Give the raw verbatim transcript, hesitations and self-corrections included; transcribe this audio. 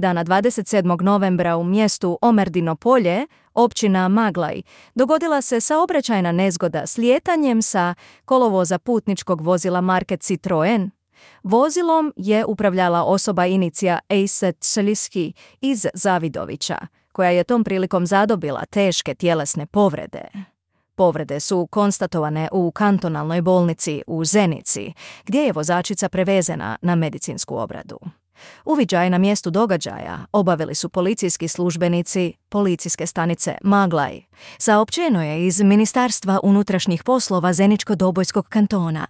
Dana dvadeset sedmog novembra u mjestu Omerdino polje, općina Maglaj, dogodila se saobraćajna nezgoda s lijetanjem sa kolovoza putničkog vozila marke Citroen. Vozilom je upravljala osoba inicija Ejset Seliski iz Zavidovića, koja je tom prilikom zadobila teške tjelesne povrede. Povrede su konstatovane u kantonalnoj bolnici u Zenici, gdje je vozačica prevezena na medicinsku obradu. Uviđaj na mjestu događaja obavili su policijski službenici policijske stanice Maglaj. Saopćeno je iz Ministarstva unutrašnjih poslova Zeničko-Dobojskog kantona.